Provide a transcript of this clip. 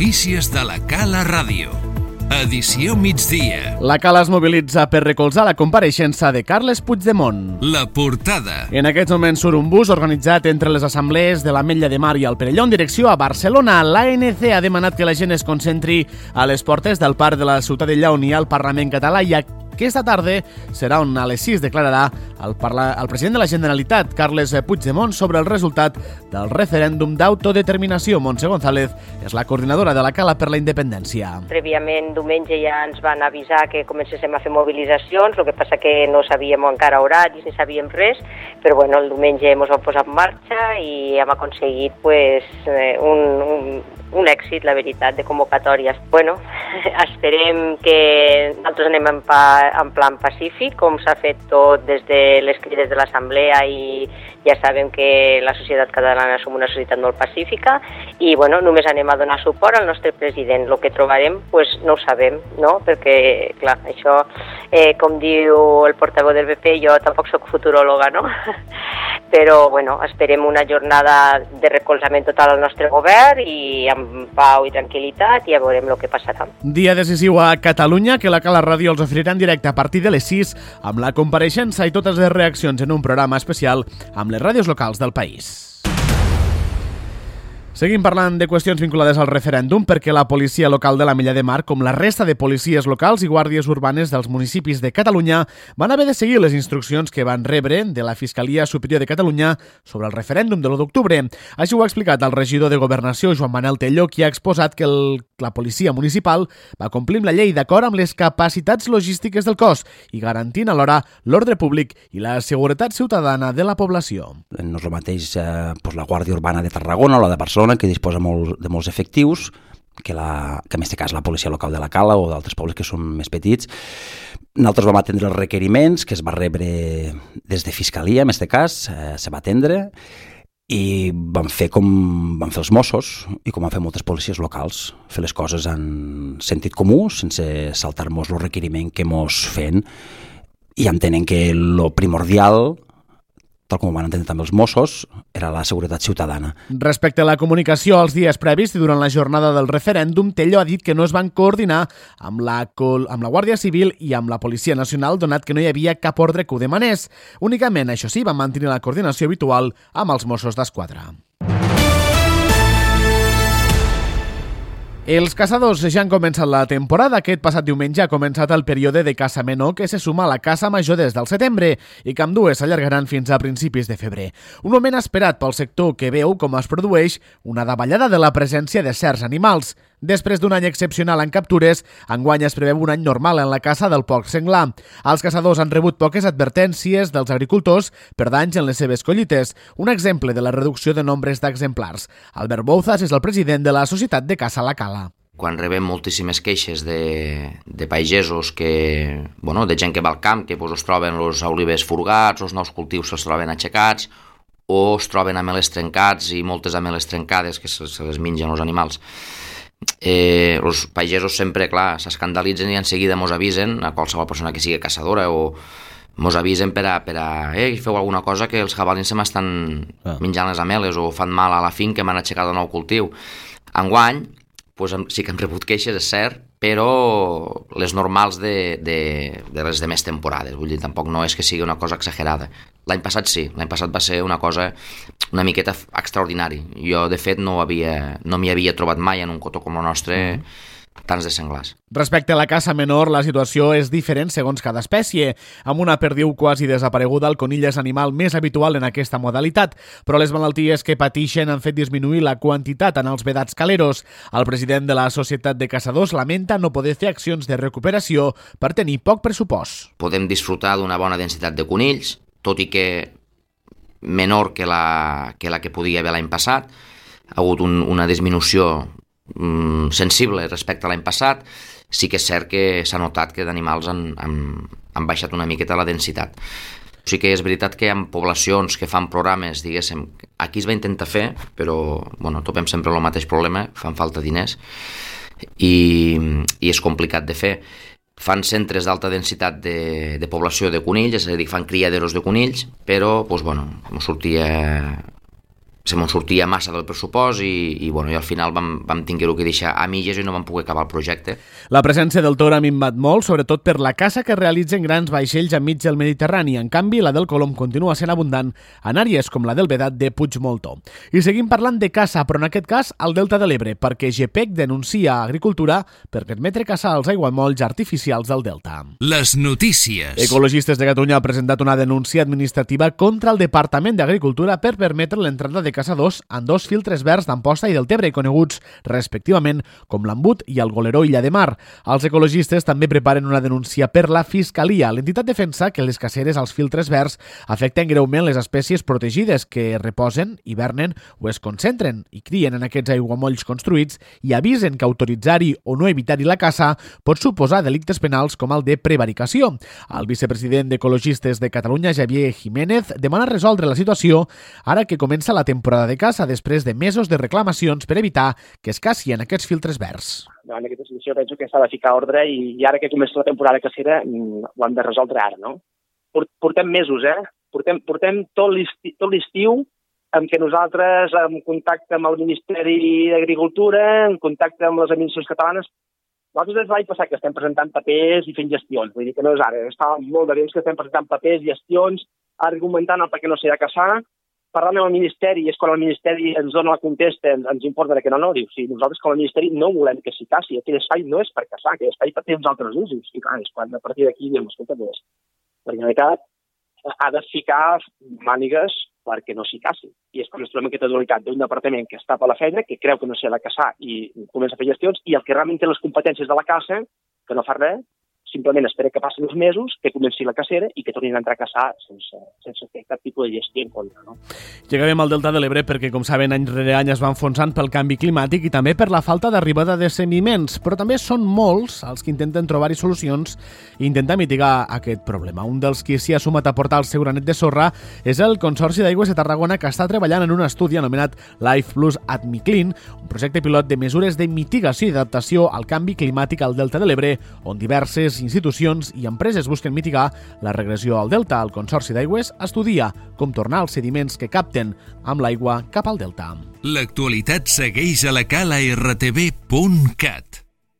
Notícies de la Cala Ràdio. Edició migdia. La Cala es mobilitza per recolzar la compareixença de Carles Puigdemont. La portada. En aquests moments surt un bus organitzat entre les assemblees de l'Ametlla de Mar i el Perelló en direcció a Barcelona. L'ANC ha demanat que la gent es concentri a les portes del Parc de la Ciutadella on hi ha el Parlament català i aquesta tarda serà on a les 6 declararà el president de la Generalitat, Carles Puigdemont, sobre el resultat del referèndum d'autodeterminació. Montse González és la coordinadora de la Cala per la Independència. Prèviament, diumenge ja ens van avisar que comencéssim a fer mobilitzacions, el que passa que no sabíem encara horaris ni sabíem res, però bueno, el diumenge ens vam posar en marxa i hem aconseguit un èxit, la veritat, de convocatòries. Bueno, esperem que nosaltres anem en plan pacífic, com s'ha fet tot des de les crides de l'Assemblea i ja sabem que la societat catalana som una societat molt pacífica i bueno, només anem a donar suport al nostre president. El que trobarem, pues, no ho sabem, no? Perquè, clar, això, com diu el portaveu del PP, jo tampoc soc futuròloga, no? Però, bueno, esperem una jornada de recolzament total al nostre govern i amb pau i tranquil·litat i ja veurem el que passarà. Dia decisiu a Catalunya que la Cala Ràdio els oferirà en directe a partir de les 6 amb la compareixença i totes les reaccions en un programa especial amb les ràdios locals del país. Seguim parlant de qüestions vinculades al referèndum perquè la policia local de l'Ametlla de Mar, com la resta de policies locals i guàrdies urbanes dels municipis de Catalunya, van haver de seguir les instruccions que van rebre de la Fiscalia Superior de Catalunya sobre el referèndum de l'1 d'octubre. Així ho ha explicat el regidor de Governació, Joan Manel Telló, qui ha exposat que la policia municipal va complir amb la llei d'acord amb les capacitats logístiques del cos i garantint alhora l'ordre públic i la seguretat ciutadana de la població. No és el mateix la Guàrdia Urbana de Tarragona o la de Barcelona, que disposa de molts efectius, que en aquest cas la policia local de la Cala o d'altres pobles que són més petits. Nosaltres vam atendre els requeriments que es va rebre des de Fiscalia, en aquest cas, se va atendre i vam fer com van fer els Mossos i com van fer moltes policies locals, fer les coses en sentit comú, sense saltar-nos el requeriment que mos fem i entenent que lo primordial, tal com ho van entendre també els Mossos, era la seguretat ciutadana. Respecte a la comunicació als dies previs i durant la jornada del referèndum, Telló ha dit que no es van coordinar amb la Guàrdia Civil i amb la Policia Nacional, donat que no hi havia cap ordre que ho demanés. Únicament, això sí, van mantenir la coordinació habitual amb els Mossos d'Esquadra. Els caçadors ja han començat la temporada. Aquest passat diumenge ha començat el període de caça menor que se suma a la caça major des del setembre i que ambdues s'allargaran fins a principis de febrer. Un moment esperat pel sector que veu com es produeix una davallada de la presència de certs animals. Després d'un any excepcional en captures, enguany es preveu un any normal en la caça del porc senglar. Els caçadors han rebut poques advertències dels agricultors per danys en les seves collites, un exemple de la reducció de nombres d'exemplars. Albert Bouzas és el president de la Societat de Caça La Cala. Quan rebem moltíssimes queixes de pagesos, de gent que va al camp, que es troben els olivers furgats, els nous cultius se'ls troben aixecats, o es troben ameles trencats i moltes ameles trencades que se les mengen els animals. Els pagesos sempre, clar, s'escandalitzen i en seguida mos avisen a qualsevol persona que sigui caçadora o mos avisen per a feu alguna cosa que els jabalins se m'estan menjant les ameles o fan mal a la finca que m'han aixecat un nou cultiu. Enguany, sí que hem rebut queixes, és cert, però les normals de les demés temporades. Vull dir, tampoc no és que sigui una cosa exagerada. L'any passat sí, l'any passat va ser una cosa una miqueta extraordinari. Jo, de fet, no m'hi havia trobat mai en un cotó com el nostre tants de senglars. Respecte a la caça menor, la situació és diferent segons cada espècie. Amb una perdiu quasi desapareguda, el conill és animal més habitual en aquesta modalitat, però les malalties que pateixen han fet disminuir la quantitat en els vedats caleros. El president de la Societat de Caçadors lamenta no poder fer accions de recuperació per tenir poc pressupost. Podem disfrutar d'una bona densitat de conills, tot i que menor que la que podia haver l'any passat. Ha hagut una disminució sensible respecte a l'any passat. Sí que és cert que s'ha notat que d'animals han baixat una miqueta la densitat. Sí que és veritat que hi ha poblacions que fan programes, diguéssim, aquí es va intentar fer, però topem sempre el mateix problema, fan falta diners i és complicat de fer. Fan centres d'alta densitat de població de conills, és a dir, fan criaderos de conills, però ens sortia se me'n sortia massa del pressupost i al final vam tinguer-ho que deixar a mitges i no vam poder acabar el projecte. La presència del tor ha minvat molt, sobretot per la caça que realitzen grans vaixells enmig del Mediterrani. En canvi, la del Colom continua sent abundant en àrees com la del Vedat de Puigmoltó. I seguim parlant de caça, però en aquest cas al Delta de l'Ebre, perquè GPEC denuncia a Agricultura per permetre caçar els aiguamolls artificials del Delta. Les notícies. Ecologistes de Catalunya ha presentat una denúncia administrativa contra el Departament d'Agricultura per permetre l'entrada de caçadors en 2 filtres verds d'Amposta i del Tebre, coneguts respectivament com l'Embut i el Goleró Illa de Mar. Els ecologistes també preparen una denúncia per la Fiscalia. L'entitat defensa que les caceres als filtres verds afecten greument les espècies protegides que reposen, hivernen o es concentren i crien en aquests aiguamolls construïts i avisen que autoritzar-hi o no evitar-hi la caça pot suposar delictes penals com el de prevaricació. El vicepresident d'Ecologistes de Catalunya, Javier Jiménez, demana resoldre la situació ara que comença la temporada de caça després de mesos de reclamacions per evitar que es caci en aquests filtres verds. En aquesta situació penso que s'ha de ficar ordre i ara que comença la temporada cacera ho hem de resoldre ara, no? Portem mesos, Portem tot l'estiu en què nosaltres, en contacte amb el Ministeri d'Agricultura, en contacte amb les administracions catalanes, nosaltres des de l'any passat que estem presentant papers i fent gestions, vull dir que no és ara, està molt de temps que estem presentant papers, gestions, argumentant el per què no s'ha de caçar, parlant amb el Ministeri, és quan el Ministeri ens dona la contesta, ens informa que no, diu, si nosaltres com a Ministeri no volem que s'hi caci, aquell espai no és per caçar, aquell espai té uns altres usos, i clar, és quan a partir d'aquí diem, escolta, la Generalitat ha de ficar mànigues perquè no s'hi caci. I és quan ens trobem aquesta dualitat d'un departament que està per la feina, que creu que no s'ha de caçar i comença a fer gestions, i el que realment té les competències de la caça, que no fa res, simplement espera que passin uns mesos, que comenci la cacera i que tornin a entrar a caçar sense fer cap tipus de gestió en contra. No? I acabem al Delta de l'Ebre perquè, com saben, any rere any es va enfonsant pel canvi climàtic i també per la falta d'arribada de sediments, però també són molts els que intenten trobar-hi solucions i intentar mitigar aquest problema. Un dels qui s'hi ha sumat a portar el seu granet de sorra és el Consorci d'Aigües de Tarragona, que està treballant en un estudi anomenat Life Plus Admiclin, un projecte pilot de mesures de mitigació i adaptació al canvi climàtic al Delta de l'Ebre, on diverses institucions i empreses busquen mitigar la regressió al delta. El Consorci d'Aigües estudia com tornar els sediments que capten amb l'aigua cap al delta. L'actualitat segueix a la cala rtv.cat.